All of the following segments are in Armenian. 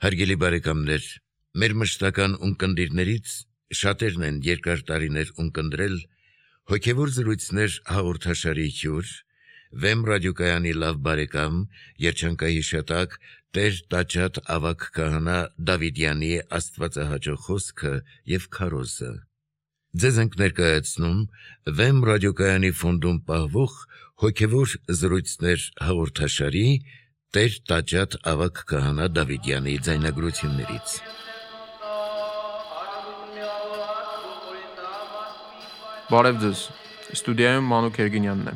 Հարգելի բարեկամներ, մեր մշտական ունկնդիրներից շատերն են երկար տարիներ ունկնդրել հոգևոր զրույցներ հաղորդաշարի հյուր, Վեմ ռադիոկայանի լավ բարեկամ, երջանկայի շատակ Տեր Տաճատ ավագ քահանա Դավիդյանի աստվածահաճո խոսքը եւ քարոզը։ Ձեզ ենք ներկայացնում Վեմ ռադիոկայանի ֆոնդում պահվող հոգևոր զրույցներ հաղորդաշարի Տեր Տաճատ ավագ քահանա Դավիդյանի ձայնագրություններից։ Բարև ձեզ, ստուդիայում Մանուկ Երգինյանն է։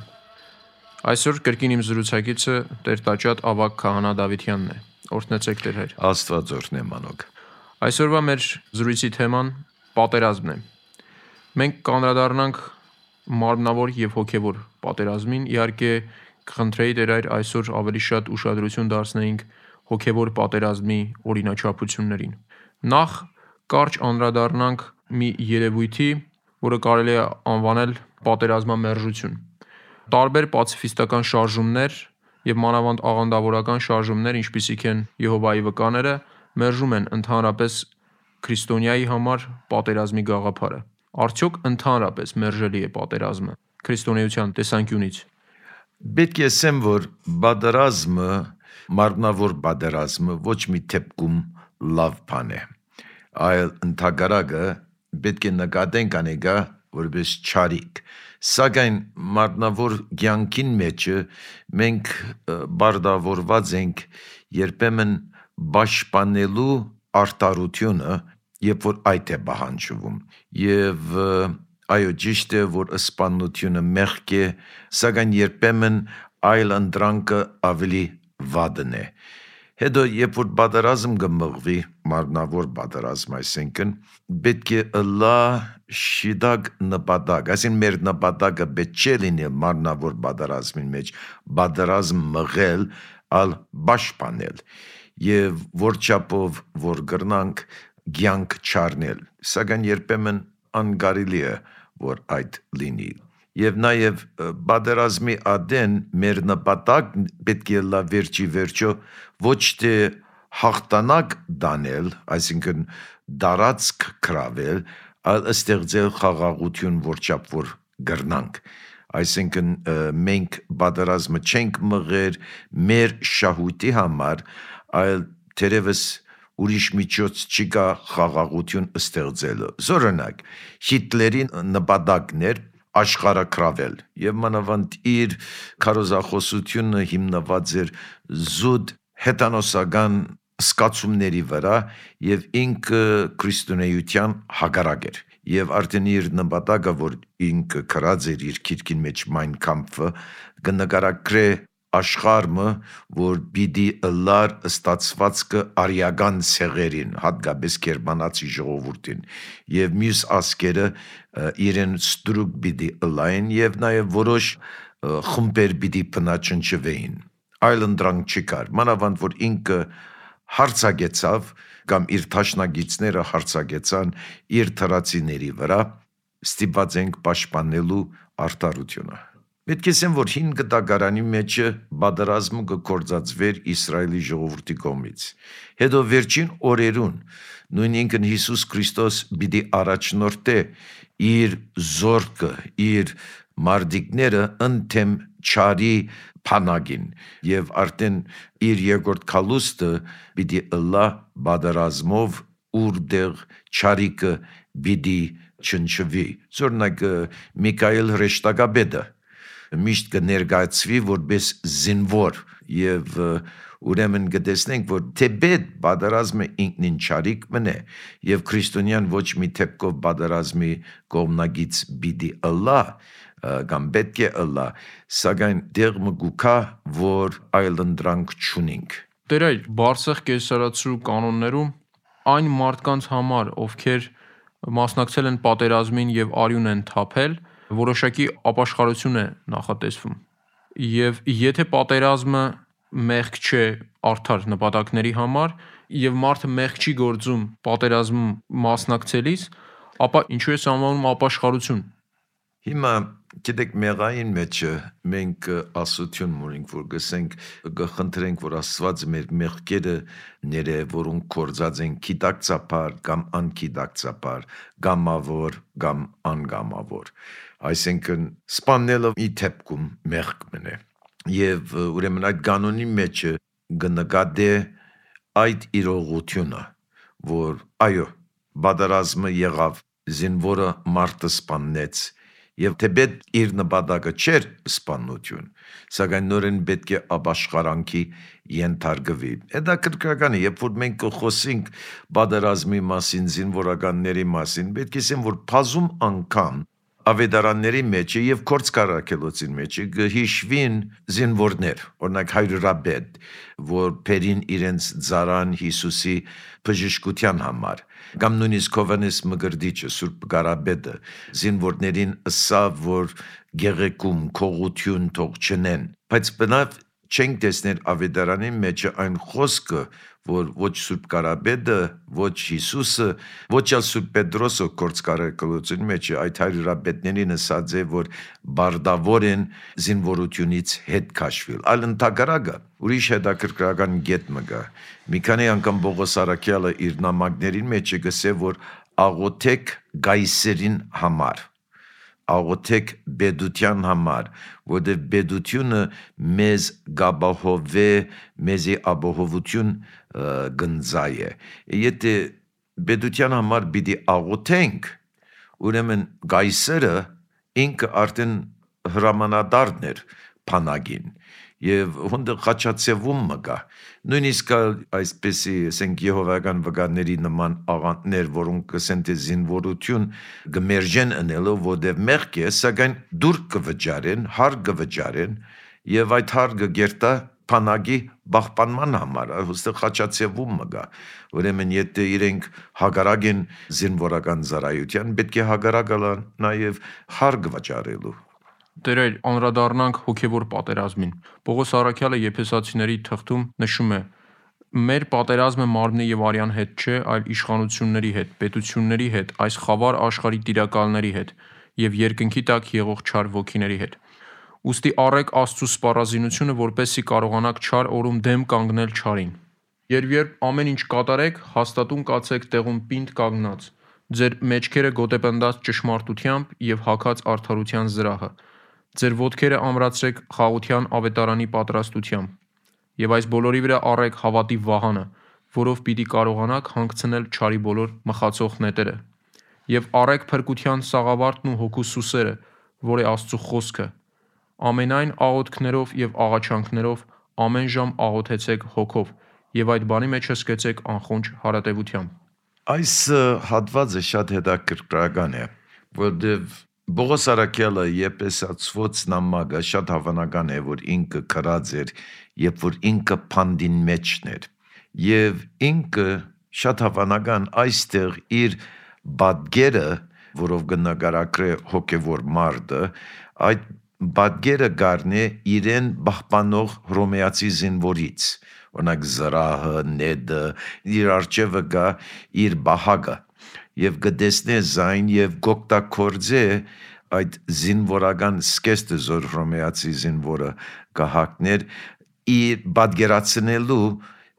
Այսօր կրկին իմ զրուցակիցը Տեր Տաճատ ավագ քահանա Դավիդյանն է։ Օրհնեցեք Տեր Հայր։ Աստված օրհնե Մանուկ։ Այսօրվա մեր զրույցի թեման պատերազմն է։ Մենք կանդրադառնանք մարմնավոր եւ հոգեվոր պատերազմին, իհարկե կխնդրեի Տեր Հայր այսօր ավելի շատ ուշադրություն դարձնեինք հոգևոր պատերազմի օրինաչափություններին։ Նախ կարճ անդրադառնանք մի երևույթի, որը կարելի է անվանել պատերազմամերժություն։ Տարբեր պացիֆիստական շարժումներ եւ մանավանդ աղանդավորական շարժումներ, ինչպիսիք են Եհովայի վկաները, մերժում են ընդհանրապես քրիստոնյայի համար պատերազմի գաղափարը։ Արդյոք ընդհանրապես մերժելի է պատերազմը քրիստոնեության տեսանկյունից։ Պետք է ասեմ, որ պատերազմը, մարմնավոր պատերազմը ոչ մի դեպքում լավ բան է, այլ ընդհակառակը պետք է նկատենք անեգա որպես չարիք։ Սակայն մարմնավոր կյանքին մեջը մենք բարդավորված ենք երբեմն պաշտպանելու արտարությունը, երբ որ այդ է պահանջվում, եւ այո, ճիշտ է, որ սպանությունը մեղք է, սակայն երբեմն այլ ընտրանքը ավելի վատն է։ Հետո, երբ որ պատերազմ կմղվի, մարմնավոր պատերազմ, այսինքն, պետք է ըլլա շիդակ նպատակ, այսինքն մեր նպատակը պետք չէ լինի մարմնավոր պատերազմին մեջ, պատերազմ մղել, այլ պաշտպանել, եւ որչափով որ կրնանք կյանք չառնել, սակայն երբեմն անկարելի է որ այդ լինի։ Եվ նաև պատերազմի ադեն մեր նպատակ պետք է լա վերջի վերջո ոչ թե հաղթանակ դանել, այսինքն դարածք կրավել, այլ ստեղծել խաղաղություն որչափ որ կրնանք։ Այսինքն մենք պատերազմը չենք մղեր մեր շահույթի համար, այլ թերևս ուրիշ միջոց չկա խաղաղություն ստեղծելու։ Օրինակ, Հիտլերի նպատակն էր աշխարհը կրավել, եւ մանավանդ իր քարոզախոսությունը հիմնված էր զուտ հետանոսական սկացումների վրա եւ ինքը քրիստոնեության հակառակ էր։ Եվ արդեն իր նպատակը, որ ինքը կրած էր իր քիրքին մեջ Mein Kampf-ը, կնկարագրե աշխարհը, որ պիտի ըլլար ստացվածքը արիական ցեղերին, հատկապես գերմանացի ժողովրդին, եւ մյուս ազգերը իրեն ստրուկ պիտի ըլլային եւ նաեւ որոշ խմբեր պիտի բնաճնճվեին։ Այլ ընդրանք չկար, մանավանդ որ ինքը հարցակեցավ կամ իր թաշնագիցները հարցակեցան իր թրացիների վրա, ստիպված ենք պաշտպանելու արդարությունը։ Պետք է ասեմ, որ 5 դարանի մեջ պատերազմը կգործածվեր Իսրայելի ժողովրդի կողմից։ Հետո վերջին օրերուն նույն ինքն Հիսուս Քրիստոս պիտի առաջնորդե իր զորքը, իր մարդիկները ընդեմ չարի փանագին եւ արդեն իր երկրորդ քալուստը պիտի ըլլա պատերազմով ուրդեղ չարիկը պիտի չնչվի։ Օրինակ Միքայել հրեշտակաբեդը միշտ կներկայացվի որպես զինվոր եւ ուրեմն կտեսնենք, որ թեպետ պատերազմը ինքնին չարիք մնե եւ քրիստոնյան ոչ մի թեփքով պատերազմի կողմնագից պիտի ըլլա կամ պետք է ըլլա, սակայն դեղ մգուկա, որ այլ ընդրանք չունենք։ Տեր այ Բարսեղ կեսարացու կանոններում այն մարդկանց համար, ովքեր մասնակցել են պատերազմին եւ արյուն են թափել, որոշակի ապաշխարություն է նախատեսվում։ Եվ եթե պատերազմը մեղք չէ արդար նպատակների համար եւ մարդը մեղք չի գործում պատերազմում մասնակցելիս, ապա ինչու է անվանում ապաշխարություն։ Հիմա գիտեք մեղային մեջը մենք ասություն ունենք, որ գսենք գխնդրենք, որ Աստված մեր մեղքերը ները, որոնք կործած են գիտակցաբար կամ անկիտակցաբար, գամավոր կամ անգամավոր, այսինքն սպաննելը ի թեպքում մեղք մնե, եւ ուրեմն այդ կանոնի մեջը գնկադե այդ իրողությունը, որ այո, բادرազմը եղավ, զինվորը մարդը սպաննեց, եւ թեպետ իր նպատակը չէր սպանություն, սակայն նորեն պետք է ապաշխարանքի ենթարկվի։ Դա կրկնական է, երբ որ մենք խոսենք բادرազմի մասին, զինվորականների մասին, պետք է ասեմ, որ բազում անգամ ավետարանների մեջ եւ կորցկարակելոցին մեջ հիշվին զինվորներ, օրինակ հայրապետ, որ բերին իրենց ծառան Հիսուսի բժշկության համար, կամ նույնիսկ Հովհաննես Մկրտիչը, Սուրբ Կարապետը, զինվորներին ըսավ, որ գեղեցկում քողություն թող չնեն, բայց բնավ չենք տեսնել ավետարանի մեջ այն խոսքը, որ ոչ Սուրբ Կարապետը, ոչ Հիսուսը, ոչ էլ Սուրբ Պետրոսը կորցկարակալության մեջ այդ հայրապետներին ասած է, որ բարդավոր են զինվորությունից հետ քաշվել։ Այլ ընդհակառակը ուրիշ հետաքրքրական գետ մը կա։ Մի քանի անգամ Պողոս առաքյալը իր նամակներին մեջ գսե, որ աղոթեք գայսերին համար, աղոթեք բեդության համար, որտեղ բեդությունը մեզ գաբահովե, մեզի ապահովություն գնձայ է։ Եթե բեդության համար պիտի աղոթենք, ուրեմն գայսերը ինքը արդեն հրամանատարն էր բանակին, եւ հոնդը խաչացեվում մգա, նույնիսկ այսպեսի ասենք Եհովայական վկաների նման աղանդներ, որոնք կսեն թե զինվորություն գմերժեն ընելով, որտեղ մեղք է, սակայն դուր կվճարեն, հար կվճարեն, եւ այդ հարգը գերտա բանակի բախպանման համար, հստակ խաչացեվում մգա, ուրեմն եթե իրենք հագարակ են զինվորական ծառայության, պետք է հագարակալա նաեւ հարգ վճարելու։ Տերեր, անդրադառնանք հոգևոր պատերազմին։ Պողոս առաքյալը Եփեսացիների թղթում նշում է. մեր պատերազմը մարմնի եւ արյան հետ չէ, այլ իշխանությունների հետ, պետությունների հետ, այս խավար աշխարհի տիրակալների հետ եւ երկնքի տակ եղող չար ոգիների հետ։ Ուստի առեք Աստծո սպառազինությունը, որպեսզի կարողանաք չար օրում դեմ կանգնել չարին։ Երբ ամեն ինչ կատարեք, հաստատուն կացեք տեղում պինդ կանգնած, ձեր մեջքերը գոտեպնդած ճշմարտությամբ եւ հագած արդարության զրահը, ձեր ոտքերը ամրացրեք խաղաղության ավետարանի պատրաստությամբ, եւ այս բոլորի վրա առեք հավատի վահանը, որով պիտի կարողանաք հանգցնել չարի բոլոր մխացող նետերը, եւ առեք փրկության սաղավարտն ու հոգու սուսերը, որ է Աստծո խոսքը, ամենայն աղոթքներով եւ աղաչանքներով ամեն ժամ աղոթեցեք հոգով եւ այդ բանի մեջ հսկեցեք անխոնջ հարատեվությամբ։ Այս հատվածը շատ հետաքրքրական է, որտեղ Պողոս առաքյալը Եփեսացվոց նամակը շատ հավանական է, որ ինքը քրած էր, երբ որ ինքը փանդին մեջն էր, եւ ինքը շատ հավանական այստեղ իր բադգերը, որով կնկարագրե հոգևոր մարդը, այդ բադգերը գարնե իրեն պահպանող հռոմեացի զինվորից, օրինակ զրահը, նեդը, իր արջևը գա իր բահագը, եւ գտեսնե զայն եւ գոկտակորձե այդ զինվորական սկեստը զոր հռոմեացի զինվորը կհակներ իր բادرացնելու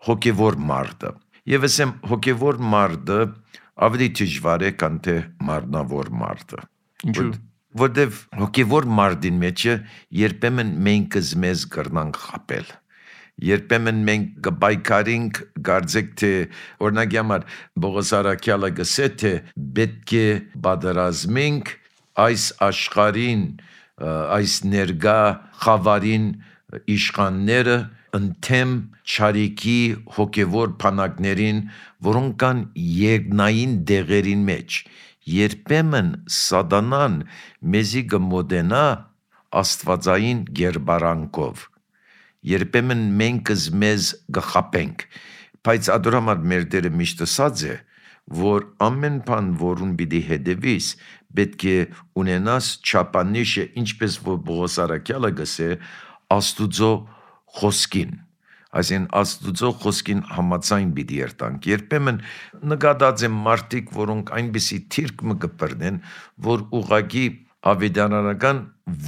հոգևոր մարդը։ Եվ ասեմ հոգևոր մարդը ավելի դժվար է, քան թե մարմնավոր մարդը։ Ինչու՞։ Որտեւ հոգևոր մարդին մեջը երբեմն մենք մեզ կրնանք խապել։ Երբեմն մենք կբայքարենք, կարծեք թե օրինակ համար Պողոս առաքյալը գսե թե պետք է պատերազմենք այս աշխարհին, այս ներգա խավարին իշխանները ընդեմ չարիքի հոգևոր բանակներին, որոնք կան երկնային դեղերին մեջ։ Երբեմն սատանան մեզի կմոտենա աստվածային գերբարանքով։ Երբեմն մենք մեզ գխապենք, բայց ադորամար մեր Տերը միշտ ասած է, որ ամեն բան, որուն պիտի հետևիս, պետք է ունենաս չափանիշը, ինչպես որ Պողոս առաքյալը գսե, Աստուծո խոսքին, այսինքն Աստուծո խոսքին համաձայն պիտի երտանք։ Երբեմն նկատած եմ մարդիկ, որոնք այնպիսի թիրք մը կբռնեն, որ ուղղակի ավետարանական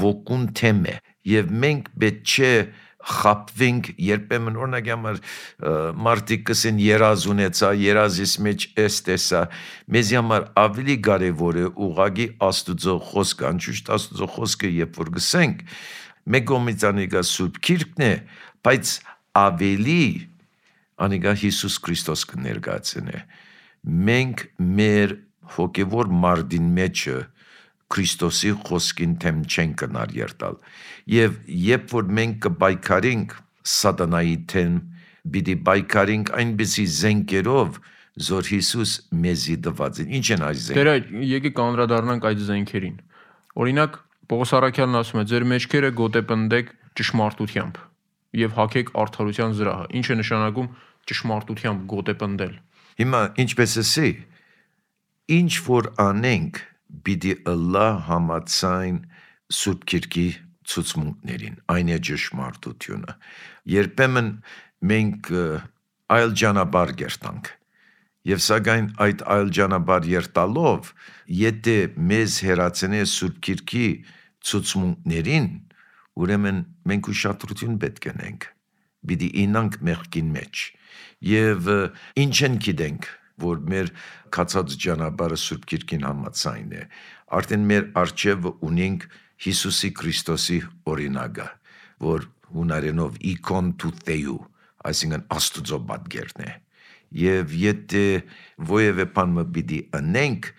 ոգուն թեմ է եւ մենք պետք չէ խապվենք երբեմն օրինակ համար մարդիկ կսեն երազ ունեցա երազիս մեջ էս տեսա մեզ համար ավելի կարևոր է ուղագի Աստուծո խոսքը անշուշտ Աստուծո խոսքը երբ որ գսենք մեկ կողմից անիկա Սուրբ Գիրքն է բայց ավելի անիկա Հիսուս Քրիստոս կներկայացնե մենք մեր հոգևոր մարդին մեջը Քրիստոսի խոսքին թեմ չեն կնար երտալ եւ երբ որ մենք կբայքարենք սատանայի թեմ պիտի բայքարենք այնպիսի զենքերով որ Հիսուս մեզի տված են ինչ են այս զենքերը Տեր եկեք անդրադառնանք այդ զենքերին օրինակ Պողոս Առաքյալն ասում է ձեր մեջքերը գոտեպնդեք ճշմարտությամբ եւ հագեք արդարության զրահը ինչ է նշանակում ճշմարտությամբ գոտեպնդել Հիմա ինչպես էսի ինչ որ անենք Բիդի ըլլա համացայն Սուրբ Գիրքի ցուցմունքներին, այն է ճշմարտությունը։ Երբեմն մենք այլ ճանապարհ գերտանք։ Եվ սակայն այդ այլ ճանապարհ երտալով, եթե մեզ հերացնե Սուրբ Գիրքի ցուցմունքներին, ուրեմն մենք ուշադրություն պետք ունենք։ Բիդի ինանք մեղքին մեջ։ Եվ ինչ են գիտենք որ մեր կացած ճանապարհը Սուրբ Գիրքին համաձայն է արդեն մեր արժեվը ունենք Հիսուսի Քրիստոսի օրինակը որ հունարենով իկոն του Θεού այսինքն Աստուծո պատկերն է եւ եթե ովևէ բան մը պիտի անենք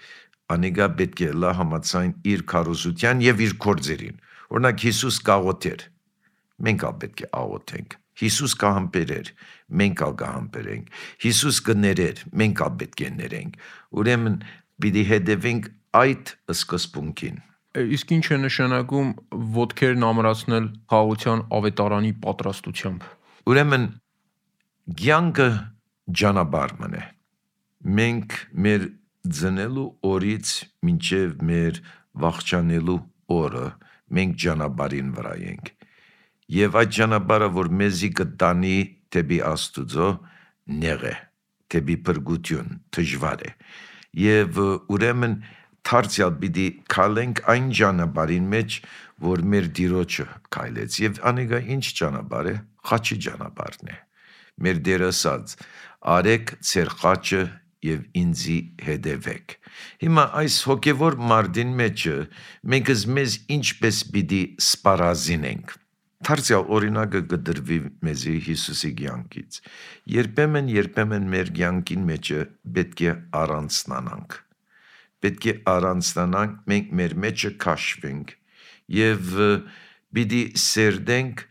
անիկա պետք է լա համաձայն իր քարոզության եւ իր գործերին օրինակ Հիսուս կաղոթեր մենք ալ պետք է աղոթենք Հիսուս կհամբերեր, մենք ալ կհամբերենք, Հիսուս կներեր, մենք ալ պետք է ներենք, ուրեմն պիտի հետևենք այդ սկզբունքին։ Իսկ ինչ է նշանակում ոտքերն ամրացնել խաղաղության ավետարանի պատրաստությամբ։ Ուրեմն կյանքը ճանապարհն է։ Մենք մեր ծնելու օրից մինչև մեր վախճանելու օրը մենք ճանապարհին վրա ենք։ Եվ այդ ճանապարհը, որ մեզի կտանի դեպի Աստուծո նեղ է, դեպի փրկություն, դժվար է։ Եվ ուրեմն դարձյալ պիտի քայլենք այն ճանապարհին մեջ, որ մեր Տիրոջը քայլեց։ Եվ անիկա ինչ ճանապարհ է, խաչի ճանապարհն է։ Մեր Տերը ասաց. «Արեք ձեր խաչը եւ ինձի հետևեք»։ Հիմա այս հոգևոր մարդին մեջը մենք մեզ ինչպես պիտի սպառազինենք։ Դարձյալ օրինակը կդրվի մեզի Հիսուսի կյանքից։ Երբեմն մեր կյանքին մեջը պետք է առանձնանանք։ Պետք է առանձնանանք, մենք մեր մեջը քաշվենք եւ պիտի սերդենք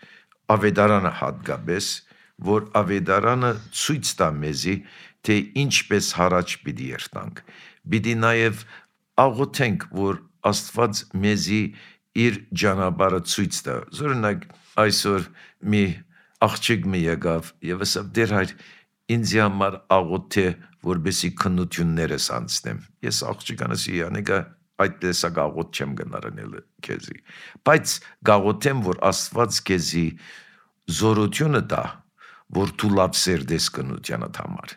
ավետարանը հատկապես, որ ավետարանը ցույց տա մեզի, թե ինչպես հարաճ պիտի երթանք։ Պիտի նաեւ աղոթենք, որ Աստված մեզի իր ճանապարհը ցույց տա։ Օրինակ այսօր մի աղջիկ մի եկավ եւ ասավ դեր հայր ինձ համար աղոթե որբեսի քննություններս անցնեմ ես աղջկանացի անիկա այդ տեսակ աղոթ չեմ գնարնել քեզի բայց գաղոթեմ որ Աստված քեզի զորությունը տա որ դու լավ սերդես քննությանդ համար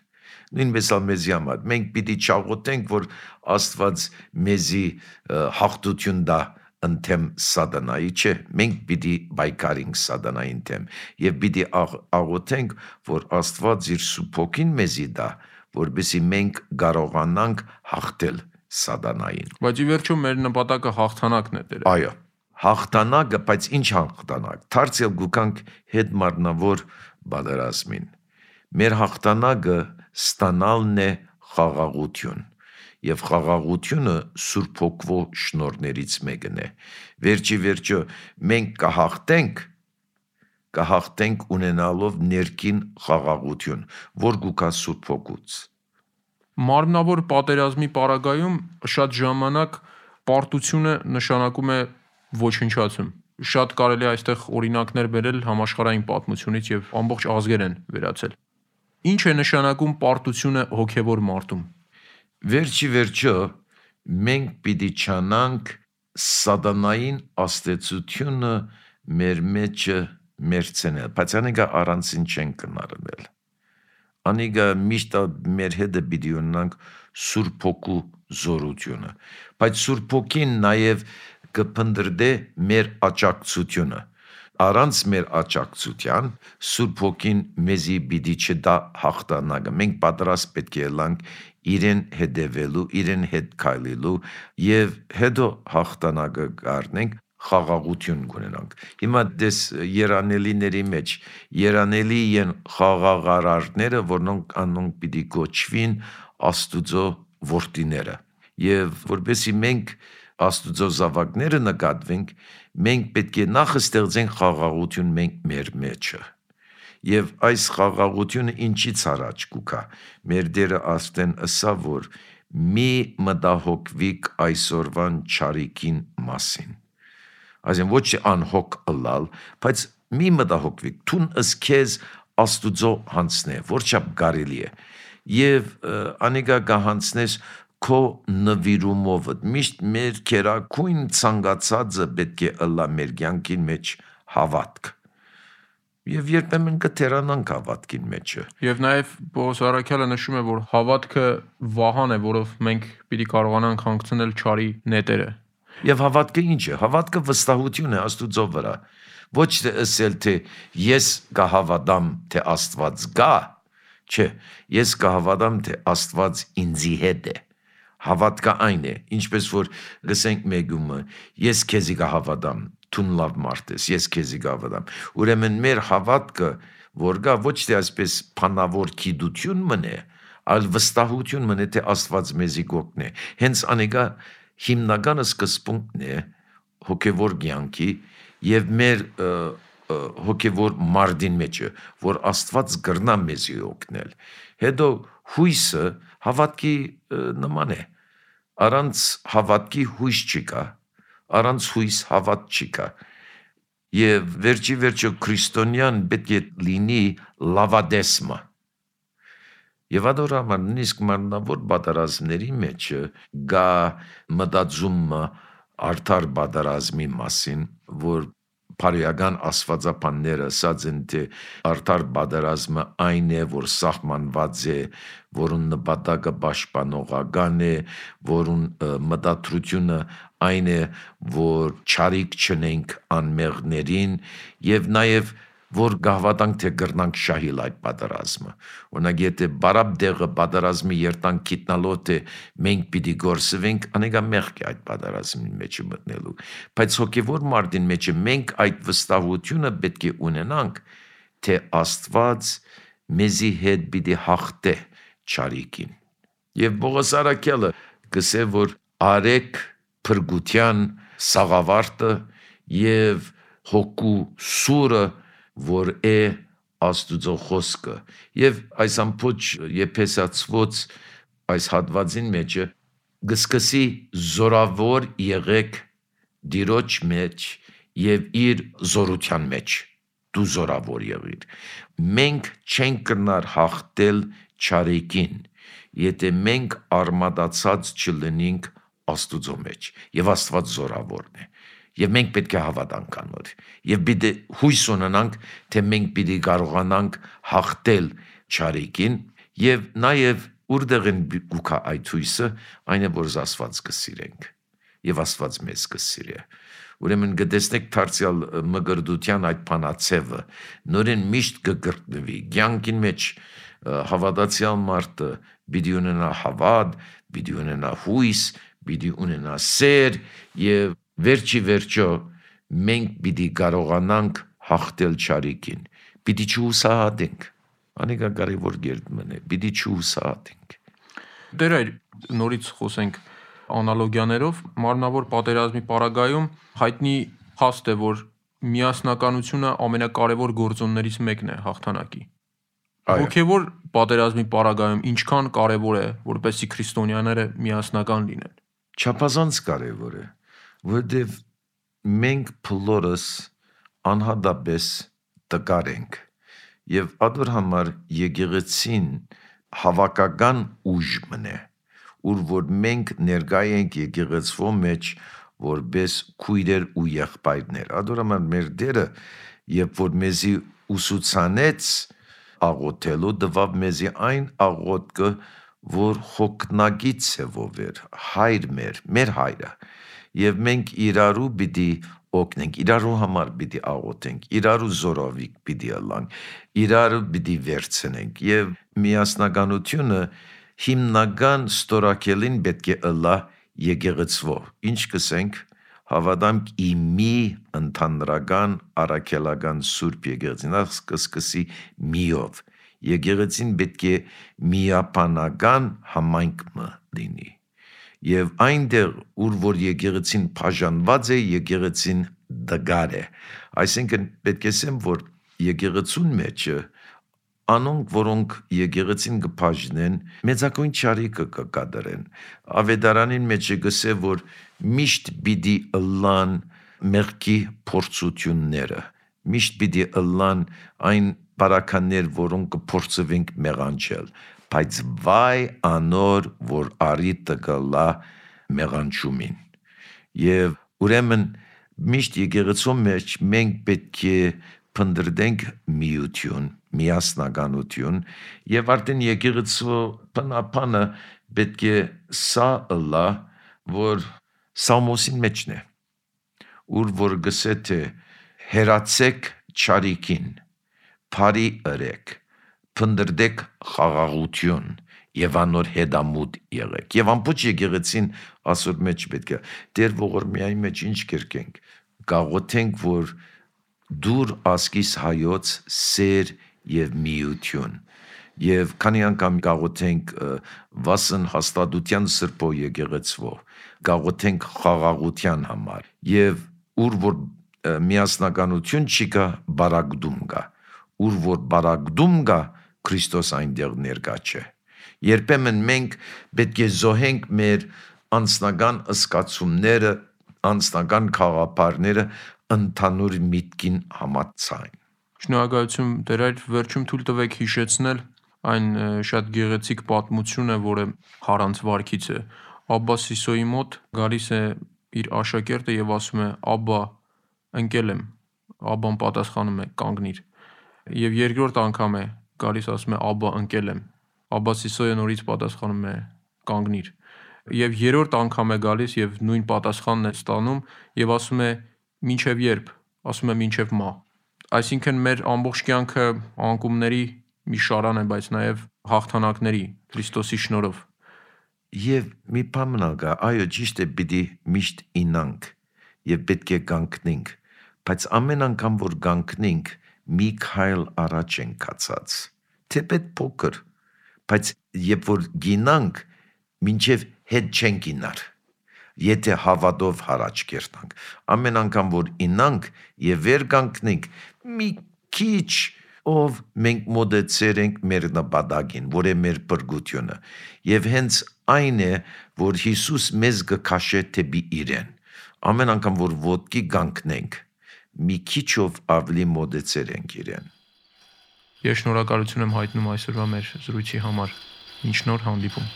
նույնպես ալ մեզի համար մենք պիտի չաղոթենք որ Աստված մեզի հաղթություն տա ընթեմ սատանայի չէ, մենք պիտի բայկարինք սատանային թեմ և պիտի աղոթենք, որ Աստված իր Սուրբ Հոգին մեզի տա, որպեսզի մենք կարողանանք հաղթել սատանային։ Բայց ի վերջո մեր նպատակը հաղթանակն է Տեր։ Այո, հաղթանակը, բայց ինչ հաղթանակ։ Դարձյալ գուքանք հետ մարմնավոր պատերազմին։ Մեր հաղթանակը ստանալն է խաղաղություն։ Եվ խաղաղությունը Սուրբ Հոգվո շնորհներից մեկն է։ Վերջի վերջո մենք կհաղթենք ունենալով ներքին խաղաղություն, որ գուքա Սուրբ Հոգուց։ Մարմնավոր պատերազմի պարագայում շատ ժամանակ պարտությունը նշանակում է ոչնչացում։ Շատ կարելի է այստեղ օրինակներ բերել համաշխարհային պատմությունից եւ ամբողջ ազգեր են վերացել։ Ինչ է նշանակում պարտությունը հոգեվոր մարդում։ Վերջի վերջո մենք պիտի չանանք սատանային աստեցությունը մեր մեջը մերցնել, բայց անիկա առանցին չեն կնարնել։ Անիկա միշտ մեր հետը պիտի ունենանք Սուրբ Հոգու զորությունը, բայց Սուրբ Հոգին նաև կփնդրդե մեր աջակցությունը։ Առանց մեր աջակցության Սուրբ Հոգին մեզի պիտի չտա հաղթանակը։ Մենք պատրաստ պետք է լինենք իրեն հետևելու, իրեն հետ քայլելու եւ հետո հաղթանակը կառնենք, խաղաղություն կունենանք։ Հիմա դες երանելիների մեջ երանելի են խաղաղարարները, որոնք անոնք պիտի կոչվին Աստուծո որդիները։ Եվ որովհետեւ մենք Աստուծո զավակները նկատվենք, մենք պետք է նախ ստեղծենք խաղաղություն մենք մեր մեջը։ Եվ այս խաղաղությունը ինչից առաջ կուքա։ Մեր Տերը աստեն ըսա, որ մի մտահոգվիկ այսօրվան չարիքին մասին։ Այսինքն ոչ անհոգ ըլալ, բայց մի մտահոգվիկ, թուն ըսքեզ Աստուծո հանցնե, որչափ կարելի է։ Եվ անիկա կհանցնես քո նվիրումով, միշտ մեր քերակույն ցանկացածը պետք է ըլլա մեր կյանքին մեջ հավատք։ Եվ երբեմն կթերանանք հավատքին մեջը։ Եվ նաև Պողոս Արաքյալը նշում է, որ հավատքը վահան է, որով մենք պիտի կարողանանք հանգցնել չարի նետերը։ Եվ հավատքը ինչ է։ Հավատքը վստահություն է Աստուծո վրա։ Ոչ թե ասել թե ես կհավատամ թե Աստված կա, չէ, ես կհավատամ թե Աստված ինձի հետ է։ Հավատքը այն է, ինչպես որ լսենք մեգումը, ես քեզի կհավատամ, թուն լավ մարդ ես, ես քեզի կհավատամ։ Ուրեմն մեր հավատքը, որ գա ոչ թե այսպես փանավոր գիտություն մնե, այլ վստահություն մնե, թե Աստված մեզի կօգնի։ Հենց անիկա հիմնական սկզբունքն է հոգևոր կյանքի եւ մեր հոգևոր մարդին մեջը, որ Աստված կրնա մեզի օգնել։ Հետո հույսը հավատքի նման է։ Առանց հավատքի հույս չկա, առանց հույս հավատ չկա։ Եվ վերջի քրիստոնյան պետք է լինի լավադեսմը։ Եվ adorama նույնիսկ մարմնավոր պատերազմների մեջ գա մտածումը արդար պատերազմի մասին, որ Փարիական աստվածապանները ասած են, թե արդար պատերազմը այն է, որ սահմանված է, որուն նպատակը պաշտպանողական է, որուն մտադրությունը այն է, որ չարիք չնենք անմեղներին եւ նաեւ որ գահվատանք թե գրնանք շահիլ այդ պատերազմը։ Օրինակ եթե բարապ դեղը պատերազմի երտանք գիտնալոտ է մենք պիտի գործվենք, անեկա մեղք է այդ պատերազմի մեջ մտնելու։ Բայց հոգևոր մարդին մեջ մենք այդ վստահությունը պետք է ունենանք, թե Աստված մեզի հետ պիտի հաղթե չարիքին։ Եվ Պողոս Արաքյալը գսե որ արեք փրկության սաղավարտը եւ հոգու սուրը որ է Աստուծո խոսքը եւ այս ամփոչ եփեսացված այս հատվածին մեջ գսկսի զորավոր եղեք դիրոջ մեջ եւ իր զորության մեջ դու զորավոր եղիր մենք չենք կրնար հաղթել չարիքին եթե մենք արմատացած չլինենք Աստուծո մեջ եւ Աստված զորավորն է Եվ մենք պետք է հավատանք անոր եւ պիտի հույս ունենանք թե մենք պիտի կարողանանք հաղթել չարիքին եւ նաեւ ուրդեղ են գուքա այդ հույսը այն է որ Աստված կսիրենք եւ Աստված մեզ կսիրի ուրեմն գտեսնեք դարձյալ մգրդության այդ բանացևը նորեն միշտ կգրտնվի կյանքին մեջ հավատացյալ մարդը պիտի ունենա հավատ պիտի ունենա հույս պիտի ունենա սեր եւ վերջո մենք պիտի կարողանանք հաղթել չարիքին պիտի չհուսահատենք անիկա կարևոր գերդ մնե պիտի չհուսահատենք Դեր այր նորից խոսենք անալոգիաներով մարմնավոր պատերազմի պարագայում հայտնի փաստ է որ միասնականությունը ամենակարևոր գործոններից մեկն է հաղթանակի Հոգևոր պատերազմի պարագայում ինչքան կարևոր է որպեսզի քրիստոնյաները միասնական լինեն Չափազանց կարևոր է որտեվ մենք փլորս անհադաբես տկար ենք եւ ադոր համար եկեղեցին հավաքական ուժ մնե ուր որ մենք ներկայ ենք եկեղեցվո մեջ որպես քույրեր ու եղբայրներ ադոր համար մեր դերը երբ որ մեզի ուսուցանեց աղոթելու դվավ մեզի այն աղոթքը որ հոգնագից է ով էր հայր մեր հայրը եւ մենք իրարու պիտի օգնենք, իրարու համար պիտի աղոթենք, իրարու զորովիկ պիտի ըլլանք, իրարու պիտի վերցնենք եւ միասնականությունը հիմնական ստորակելին պետք է ըլլա եկեղեցվո։ Ինչ կսենք, հավատամք իմի ընդհանրական առաքելական սուրբ եկեղեցին, սկսի միով։ Եկեղեցին պետք է միապանական համայնք լինի։ Եվ այնտեղ, ուր որ եկեղեցին բաժանված է, եկեղեցին դգար է։ Այսինքն պետք է ասեմ, որ եկեղեցուն մեջը անոնք, որոնք եկեղեցին կբաժնեն, մեծակույն չարիքը կկատարեն։ Ավետարանին մեջ գսե, որ միշտ պիտի ըլլան մեղքի փորձությունները, միշտ պիտի ըլլան այն բարականներ, որոնք կփորձվենք մեղանչել, բայց վայ անոր, որ արիտը կլա մեղանչումին։ Եվ ուրեմն միշտ եկեղեցու մեջ մենք պետք է փնտրենք միություն, միասնականություն եւ արդեն եկեղեցու բնապանը պետք է սա ըլլա, որ Սամոսին մեջն է, ուր որ գսե թե հերացեք չարիքին, բարի ըրեք, փնտրեք խաղաղություն եւ անոր հետամուտ եղեք։ Եվ ամբողջ եկեղեցին ասոր մեջ պետք է դեր ողորմիայի մեջ ինչ կերկենք, գաղոթենք, որ դուր ասկիս հայոց սեր եւ միություն։ Եվ քանի անգամ գաղոթենք վասն հաստատության սրբո եկեղեցվո, գաղոթենք խաղաղության համար եւ ուր որ միասնականություն չի կա, բարակդում կա, ուր որ բարակդում կա, Քրիստոս այնտեղ ներկա չէ։ Երբեմն մենք պետք է զոհենք մեր անձնական ըսկացումները, անձնական խաղապարները ընդհանուր միտքին համաձայն։ Շնորհակալություն Տեր Հայր, վերջում թույլ տվեք հիշեցնել այն շատ գեղեցիկ պատմությունը, որը Հարանց վարքից է։ Աբբա Սիսոյի մոտ գալիս է իր աշակերտը եւ ասում է. «Աբբա, ընկել եմ»։ Աբբան պատասխանում է. «Կանգնիր»։ Եվ երկրորդ անգամ է գալիս, ասում է. «Աբբա, ընկել եմ»։ Աբբա Սիսոյը նորից պատասխանում է. «Կանգնիր»։ Եվ երրորդ անգամ է գալիս եւ նույն պատասխանն է ստանում եւ ասում է. «Մինչեւ երբ»։ Ասում է. «Մինչեւ մահ»։ Այսինքն մեր ամբողջ կյանքը անկումների մի շարան է, բայց նաեւ հաղթանակների Քրիստոսի շնորհով։ Եվ մի բան կա, այո, ճիշտ է, պիտի միշտ ինանք եւ պետք է կանգնենք, բայց ամեն անգամ որ կանգնենք, մի քայլ առաջ ենք կացած։ Թեպետ փոքր, բայց երբ որ գինանք, մինչեւ հետ չենք գինար։ Եթե հավատով հարաճ կերտանք, ամեն անգամ որ ինանք եւ վեր կանգնենք, մի քիչ ով մենք մոդեցեր ենք մեր նպատակին, որ է մեր բրգությունը, եւ հենց այն է, որ Հիսուս մեզ կքաշե թեպի իրեն։ Ամեն անգամ որ ոտքի կանգնենք, մի քիչով ավելի մոդեցեր ենք իրեն։ Ես շնորհակալություն եմ հայտնում այսօրվա մեր զրույցի համար։ Մինչ նոր հանդիպում։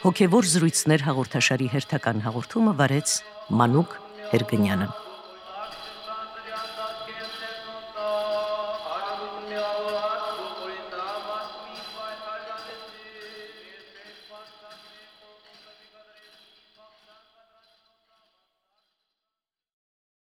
Հոգևոր զրույցներ հաղորդաշարի հերթական հաղորդումը վարեց Մանուկ Հերգնյանը։